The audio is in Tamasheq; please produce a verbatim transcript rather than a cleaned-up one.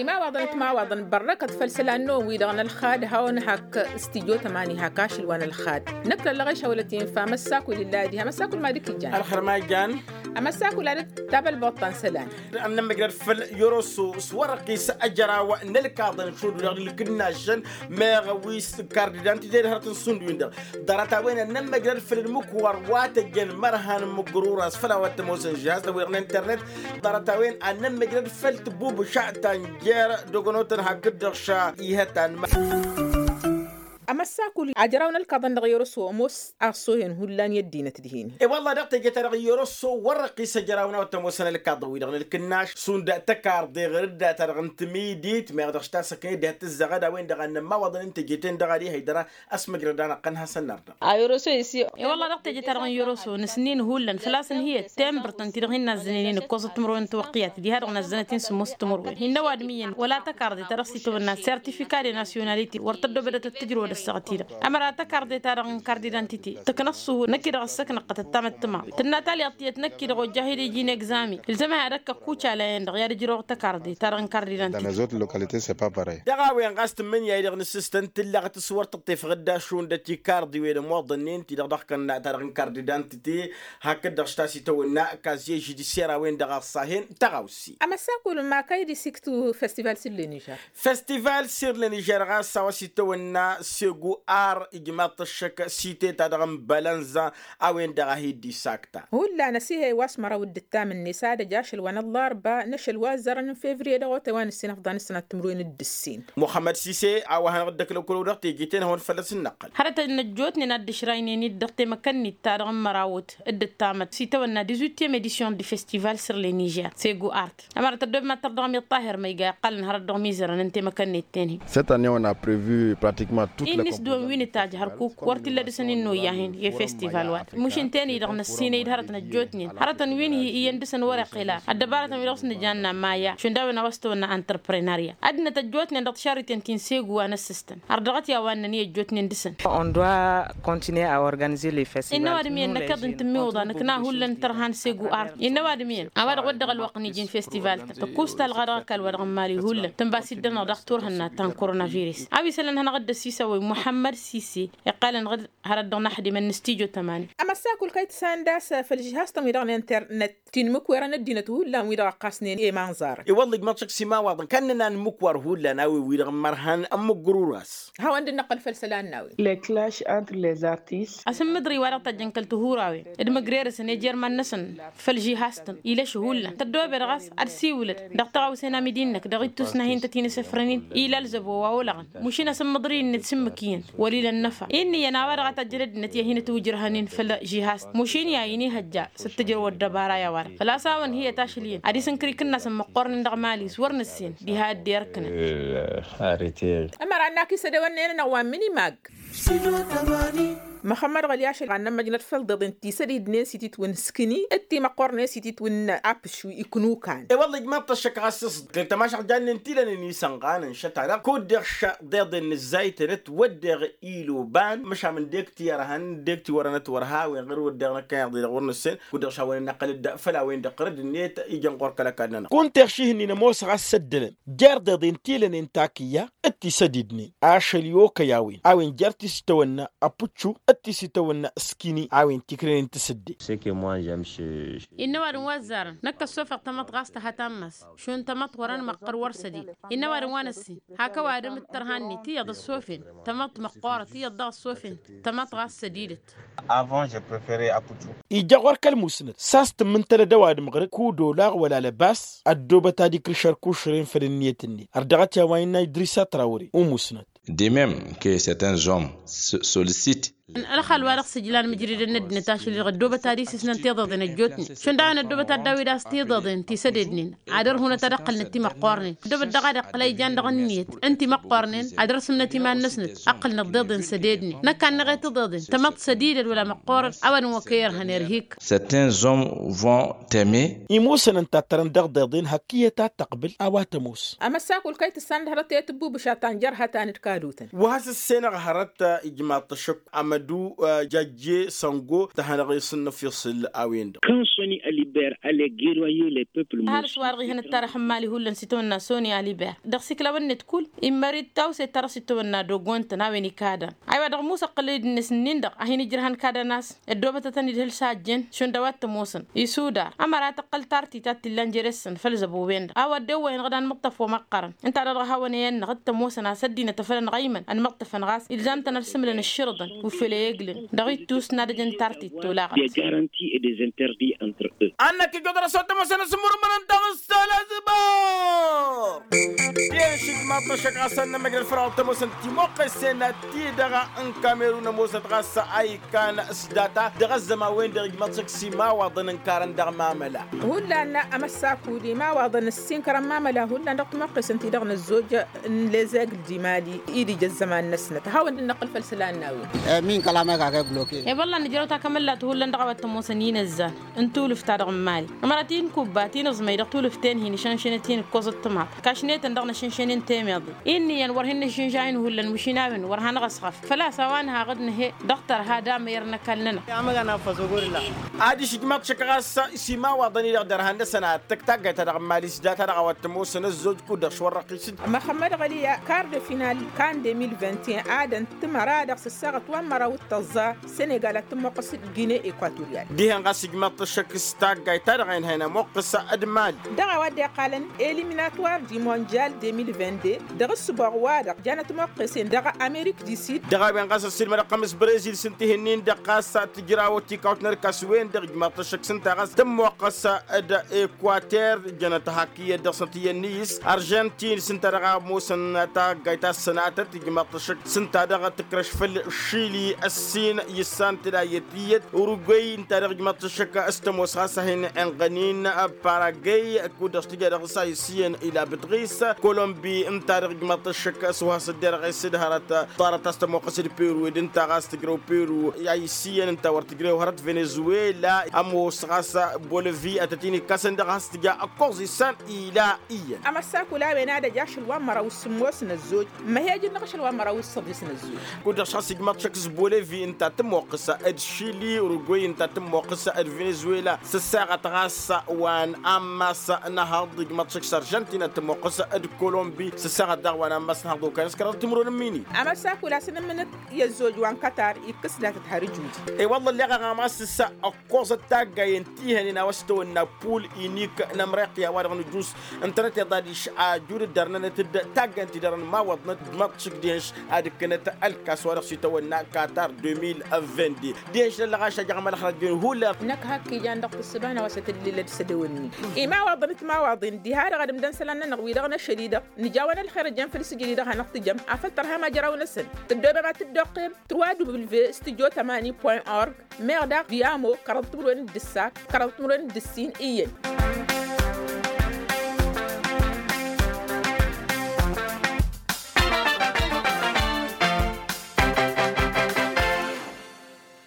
Imawaḍăn d-timawaḍăn bărrăkăt făll-isălan-năwăn-wi-dăɣ n-ălxad hawăn-hak studyo tămani hak ašăl wa n-ălxad. Năkk lăllăɣ išăwălăt infa măssakul illa diha măssakul ma dd-kǝjjan. Ălxer ma ijjan. Amăssakul ad-dd-tabălbăḍt ta n-isălan. Ad-nămmăjrăd făll-yoroso s-wărăqqis ăjraw n-ălkaḍăn šund-wi-dăɣ n-ǝlkǝnnašăn meɣ wi s-kard d-antite d-hărăt n-sund-win-dăɣ. Ḍarăt-a-wen ad-nămmăjrăd făll-ǝlmǝkwa ăr wa tăjjăn mărhan n-imǝgrur a-s făll-a-wa t-ămoosăn žihaz-tăn-wi-dăɣ n-internet. Ḍarăt-a-wen ad-nămmăjrăd făll-tǝbbubǝša ta n-jer-dăgg-onotăn hakd-dăɣ ša ihăt anma. Amăssakul ajraw n-ălkaḍăn dăɣ-i orăso ămoos aṣṣohen hullan i-ăddinăt dihen. E-wălla dăɣ-teje-ta-dăɣ i-orăso wăr-ăqqis ajraw n-a-wa t-ămoosăn ălkaḍăn-wi-dăɣ n-ǝlkǝnnaš šund takarḍe ɣăr dd-ta-dăɣ n-timidit meɣ dăɣ-s tasăknet diha t-tǝzzăɣăd a-wen-dăɣ ad-nămmawăḍăn n-teje-ten-dăɣ ad-ihăy dăr-a ăsmǝjrăd-anăɣ-tăn hasăn-nărdăɣ. A yoroso isi. E-wălla dăɣ-teje-ta-dăɣ n-yoroso nǝsnin hullan făl-a-s ǝnhǝyăt tembărt ǝnta-dăɣ hin-nazzănen-in ǝkkoẓăt timǝrwen n-tiwăqqiyat diha-dăɣ nazzănăt-in sǝmmos timǝrwen hin-năwadǝm iyyăn wăla tăkarḍe ta dăɣ-s itawănna sertifika de nasyonalite wăr tăddobădăt ad-tǝjrăwăd ăssaɣăt-i-dăɣ. Ămăra tăkarḍe ta dăɣ-n kardidantite tǝknăṣ suhu năkk-i-dăɣ ăssăknăɣ-tăt ăttamăt tǝma tǝnna talyaḍt tiyyăt năkk-i-dăɣ ojjah-dd iji n-egzami. Ǝlzăm-ahi ad-ăkk ăkkuca layăn-dăɣ i-ad-ǝjrăwăɣ tăkarḍe ta dăɣ-n kardidantite. Dăɣ-a-wen ɣas tǝmmǝnǝya-i-dăɣ n-asǝstăn tǝllaɣ tǝswăr tǝṭṭef ɣǝdda šund ătikarḍi-wen ămoḍănnen-ti-dăɣ dăɣ-kănna ta dăɣ-n kardidantite. Hakd-dăɣ s-ta s-itawănna kazye žudisyer a-wen-dăɣ a ăṣṣahen tăɣawse. Amăssakul ma kăy-dd-isiktu festival sirlenižer. Festival sirlenižer ɣas a-wa s-itawănna segu ar ijmaḍ-t ăššăk site-ta-dăɣ n-bălănza a-wen-dăɣ a hi-dd-isakta. Hullan ăsihăy wa s-măraw dd-ǝttam-net ad-ăj ašăl wa n-ăllarba n-ašăl wa ăzzarăn n-fevriye dăɣ-otay wa nǝssin ăfḍan ǝssanat timǝrwen d-ǝssin. Muxămmăd sise a-wa hanăɣ-dd-ăkla kăl-ăwdăɣ teje-ten-hawăn fălla-s ǝnnăqqăl. Hărătăn ăjjootnen ad-dd-ǝšraynen-dd dăɣ-temăkănnit-ta-dăɣ n-mărawăt dd-ǝttamăt s-itawănna dix-huitième edition du festival sur les niger segu art. Ămăra tăddoobem ad-tărdăɣăm i-ăṭṭahir ma iga iqqălăn hărăt dăɣ-mizărăn n-temăkănnit-ten-hi. Cette année on a prevu pratiquement toute la. Innis dăɣ-wen wi nǝtajj hărkuk wăr t-illa dăɣ-săn innă oyyahen i-festival wa. Mušǝn-ten-i-dăɣ năssinăy d-hărătăn ăjjootnen hărătăn wi n-hi iyyăn dăɣ-săn wăr-iqqǝla ăddăbarătăn wi dăɣ-s nǝjanna maya šund a-wen a-wa s-tawănna antrăprenarya. Ăddinăt ăjjootnen dăɣ-tišarriten ti n-segu wa n-ăssistăn har dăɣ-t i-a-wa ǝnnăn i-ăjjootnen dăɣ-săn. On doit continuer à organiser les festivals. Innă ăwadǝm iyyăn năkk iḍǝn tǝmmiwǝḍa nǝkna hullan tărha n-segu art. Innă ăwadǝm iyyăn a-wa dăɣ-wăr dăɣ-ălwăqq n-iji n-festival-tăn tăkkus talɣa dăɣ-ăkall wa dăɣ-nǝmali hullan tǝnba s-dd-ănăɣ daɣ turhǝnna ta n-koronavirus. A-wa isălan hanăɣ-dd-ăsisăwăy muḥămmăd sise iqqalăn ɣǝd hărăt dăɣ-năḥdimăn n-studyo tămani. Amăssakul kăy-t sanda a-s făll-žihaz-tăn wi-dăɣ n-internet ti n-imǝkwerăn ăddinăt hullan wi-dăɣ ăqqasnen i-imanẓarăn. I-wălla ijmăḍ šăkk s-imawaḍăn kănnăna n-imǝkwar hullan a-wen wi-dăɣ n-imărhan n-imǝgrur a-s. Hawăn-dd-năqqăl făll-isălan n-a-wen. Les clashs entre les artistes. Asǝmmǝḍri wa dăɣ-tajjăn kăl-tihurawen d-imǝgrerăsăn i-jer-iman-năsăn făll-žihaz-tăn ilăš hullan tăddoobed ɣas ad-siwǝlăd dăɣ-taɣawse n-amidi-năk dăɣ-ittus n-ahin tăt-inǝsǝfrăn-in ila ălzăbo wa olăɣăn. Mušin asǝmmǝḍri-net s-ǝmmǝk iyyăn wăl' ila ănnăfa. Inn'-iyyăn a-wa dăɣ-a tajjăn ăddinăt i-ad-hin-ătwǝjrăhăn-in făll-žihaz mušin i-ad-hin-ihăjja s-dd-tǝjrăw ăddăbara i-a-wa-dăɣ făl-a-s a-wăn hi-ătašǝl iyyăn ad-isǝnkăr ikǝnnas n-măqqornen dăɣ-mali s-wăr nǝssen diha dd-irkǝnăn. Ămăra ănn-ak isădewănnen-anăɣ wa n-minimag. Măxămmăd ɣăli ašăl ɣannăn măjnăt făll-deḍen ti sădidnen s-ititwǝn skǝni d-timăqqornen s-ititwǝn apǝšwi iknukan. E-wălla ijmaḍ-t ăššăk ɣas s-ḍkăl tămašăɣ jannen tilănen isănɣanăn šăt-anăɣ kud-deɣ šăḍeḍen n-ǝzzaytănăt wăddeɣ iloban măšan dek-ti ărhăn dek-ti wărănăt wăr ha-wen ɣur-wăddeɣ năkkăneḍ-i-dăɣ wăr nǝssen. Kud-deɣ šawăn-in-năqqăl-dd făll-a-wen-dăɣ ɣărăd-net ijăn ɣur-kăl-ăkall-nănăɣ. Kunta iɣšihǝnnin ămoos ɣas s-ăddălăn jer-deḍen tilănen takǝyya d-tisădidnen ašăl i-okăy a-wen a-wen jer-ti s-itawănna ăpučču d-ti s-itawănna ǝskini a-wen tikrănen tisǝdde. Innă ăwadǝm wa ăzzarăn năkk ăssofăɣ tamăḍt ɣas tăha tammas šund tamăḍt wăr-ănmăqqăr wăr sădid. Innă ăwadǝm wa n-ǝssin hak ăwadǝm d-tărha-net iyyăḍ ăssofen tamăḍt măqqoorăt iyyăḍ daɣ ăssofen tamăḍt ɣas sădidăt. Avant je prefere apučču. Ija ɣur-kăl-musnăt s-a-s tǝmmǝntălăd ăwadǝm ɣǝr-dd kud-olaɣ wăla lăbas ăddoobăt ad-ikrǝš ărkušren făll-ǝnniyăt-net har dăɣ-t i-a-wa innă idrisa trawre umusnăt. De même que certains hommes sollicitent. Ălxal wa dăɣ-s ǝjlan mǝjridăn n-ăddinăt ašăl-i-dăɣ ăddoobăt ad-isǝsnăn tiḍeḍen ăjjootnen šund a-wen ăddoobăt ad-dawǝy d-ass tiḍeḍen ti sădednen ad-ărhunăt ad-ăqqălnăt timăqqornen ăddoobăt daɣ ad-iqqǝl a ijan dăɣ-ǝnniyăt n-timăqqornen ad-ărsǝmnăt iman-năsnăt ăqqǝlnăt tiḍeḍen sădednen. Năkk a ǝnneɣ i-tiḍeḍen tamăḍt sădidăt wăla măqqoorăt a-wa dăɣ-n wa kăy-irhăn irhik. Certains hommes vont teme. Imusăn ǝnta a tărăn dăɣ-deḍen hak iyyăt ad-tăqbǝl a-wa tămoos. Amăssakul kăy-tǝssan d-hărăt i-tǝbbubǝša ta n-jer-hătan d-kadutăn. Wa has-ǝssenăɣ hărăt ijmaḍ-t ăššăk. du jajje săngo tăhănăɣ-i s-ǝnnǝf iṣǝl a-wen-dăɣ. Quand soni aliber ale geroye le peuple. Ăhalǝs-wa-dăɣ ihăn ǝttarăx n-imali hullan s-itawănna soni aliber dăɣ-s iklawăn-net kull immări d-tawse ta dăɣ-s itawănna dogontăn a-wen ikadan. Aywa dăɣ-musăqqǝl-dd-net ǝnnin-dăɣ a hin-ijrăhăn kadăn-as ăddoobătătăn-dd hǝl s-a ăjjeen šund a-wa t-ămoosăn isudar ămăra tăqqăl tartit a t-illan jere-săn făll-zăbo-wen-dăɣ a-wa dd-ewwăyăn dăɣ-anmǝṭṭăf wa măqqărăn. Ǝnta-dăɣ dăɣ-hawăn-e-ănnăɣ d-tămoosăn a-s ăddinăt afăl ănɣăymăn ănmăṭṭăfăn ɣas ilzam-tăn ad-sǝmǝlăn ǝššǝrǝḍăn wi făll-e-eglǝn dăɣ-ittus n-ad-ăjăn tartit tolaɣăt. Des garanties et des interdits entre eux. Annăk ijodăr-as wa t-ămoosăn asǝmmurǝmăn ǝnta ɣǝssăl azǝbăr. Iyyăn šǝjmaḍ-t ăššăk ɣas ad-nămmăjrăd făll-a-wa t-ămoosăn timăqqesen ti-dăɣ n-kamerun ămoosăt ɣas a ikkan s-data dăɣ-ăzzăman-wen-dăɣ ijmăḍ-t šăkk s-imawaḍăn ǝnkarăn dăɣ-mamăla. Hullan amăssakud imawaḍăn ǝssinkărăn mamăla hullan dăɣ-timăqqesen-ti-dăɣ n-ăzzoj n-lezegl d-imali-i d-ija ăzzăman-năsnăt ad-hawăn-dd-năqqǝl făll-isălan n-a-wen. Min kăla măyka kăy-gloke. E-wălla nǝjrăw takămăllat hullan dăɣ-a-wa t-ămoosăn inăzzan n-tulǝft-ta-dăɣ n-imali ămăra ti n-kubba ti n-aẓmăy dăɣ-tulǝft-ten hin-išănšănăt-in ǝkkoẓăt tǝmaḍt kašnetăn dăɣ-năšănšăn-in temeḍe. Inn'-iyyăn wăr hin-nǝššǝnža-in hullan mašina-wen wăr hanăɣ-ăsɣăf făl-a-s a-wa nǝha aɣǝd nǝhe dăɣ-tărha d-amăyăr n-ăkall-nănăɣ. Ad-išǝjmaḍ-t šăkk ɣas s-imawaḍăn-i-dăɣ dărhan-năsăn ad-tăkk taggayt-ta-dăɣ n-imali s-data-dăɣ a-wa t-ămoosăn ăzzoj kud-dăɣ šwărrăɣ-t-dd. Măxămmăd ɣăliya kar de final kan de mil vingt et un ad-ăntǝmăra dăɣ-s ăssaɣăt wa n-măraw d-tăẓẓa senegal ad-tǝmmoqqăs d-gine equatorial. Dihen ɣas ijmaḍ-t ăššăk s-taggayt-ta-dăɣ a inhăyăn ămoqqăs d-imali. Dăɣ-a-wa dd-iqqalăn eliminatoire du mondial de mil vingt-deux dăɣ-ǝssǝboɣ-wa-dăɣ janăt ămoqqăsen dăɣ-amerik du sud. Dăɣ-a-wen ɣas ăssiilmădăɣ-tăn s-brezil s-ǝnta ihǝnnin-dăɣ ɣas tǝjrawăt tikawt n-ărkas-wen-dăɣ ijmaḍ-t ăššăk s-ǝnta ɣas tǝmmoqqăs d-ekwater jănăt hak iyyăt dăɣ-săn tiyyăn n-iyyǝs arjantin s-ǝnta dăɣ-a ămoosăn taggayt ta s-sănatăt ijmaḍ-t ăššăk s-ǝnta dăɣ-tǝkrăš făll-šili ăssin i-ǝssan tǝla iyyăt iyyăt urugwăy ǝnta dăɣ-ijmaḍ-t ăššăk s-tămoos ɣas a hin-inɣănin paragwăy kud-dăɣ s-tǝja dăɣ-s a isǝyyăn ila bǝtɣis kolombi ǝnta dăɣ-ijmaḍ-t ăššăk s-wa s-dd-irɣes d-hărăt ḍarăt a-s tămoqqăs d-peru ed ǝnta ɣas tǝjrăw peru a isǝyyăn ǝnta wăr tǝjrew hărăt venezuela ămoos ɣas bolăvi ad-tăt-in-ikkasăn dăɣ-has-tǝja ǝkkoẓ isan ila iyyăn. Amăssakul a-wen ad-ăj ašăl wa n-măraw s-sǝmmos n-ăzzoj măhej-năɣ ašăl wa n-măraw s-săḍis n-ăzzoj. Kud-dăɣ šass ijmaḍ-t šăkk s-bolăvi ǝnta tǝmmoqqǝs d-šili urugwăy ǝnta tǝmmoqqǝs d-venezuela s-ăssaɣăt ɣas wa n-ammas n-ehăḍ ijmaḍ-t šăkk s-arjantin ad-tǝmmoqqǝs d-kolombi s-ăssaɣăt daɣ wa n-ammas n-ehăḍ okăyăn s-kăraḍ timǝrwen n-imini. Amăssakul a-s ǝnǝmmǝnăt i-ăzzoj wa n-kătar ikkǝs datăt har ǝjud. I-wălla ălleɣ aɣamas s-ăkkoẓăt taggayen ti hănen a-wa s-tawănna pul inik n-ămreqya wa dăɣ-nǝjus ǝntănăt iḍadiš ajud dd-ărnănăt-dd taggayen ti dăr-ănmawăḍnăt d-măḍšǝk dihănš ad-ǝkkǝnăt ălkas wa dăɣ-s itawănna katar deux mille vingt-deux. Dihănš n-ăllăɣaš a jăɣ mălăxrăt din hullan. Năkk hak ijan dăɣ-tǝssǝba n-a-wa s-tǝllǝlăd s-ădewănni imawaḍăn d-timawaḍin diha-dăɣ ad-ǝmdăn isălan-nănăɣ wi-dăɣ n-ašăl-i-dăɣ nǝjawăn ălxer ăjjăn făll-sǝjǝd-i-dăɣ hanăɣ-tǝjăm afăl tărham ajăraw-năsăn tǝddobem ad-tǝddoqqem trois w studio tamani point org. Meɣ daɣ d-amo kăraḍ timǝrwen d-ǝssa kăraḍ timǝrwen d-ǝssin iyyăn.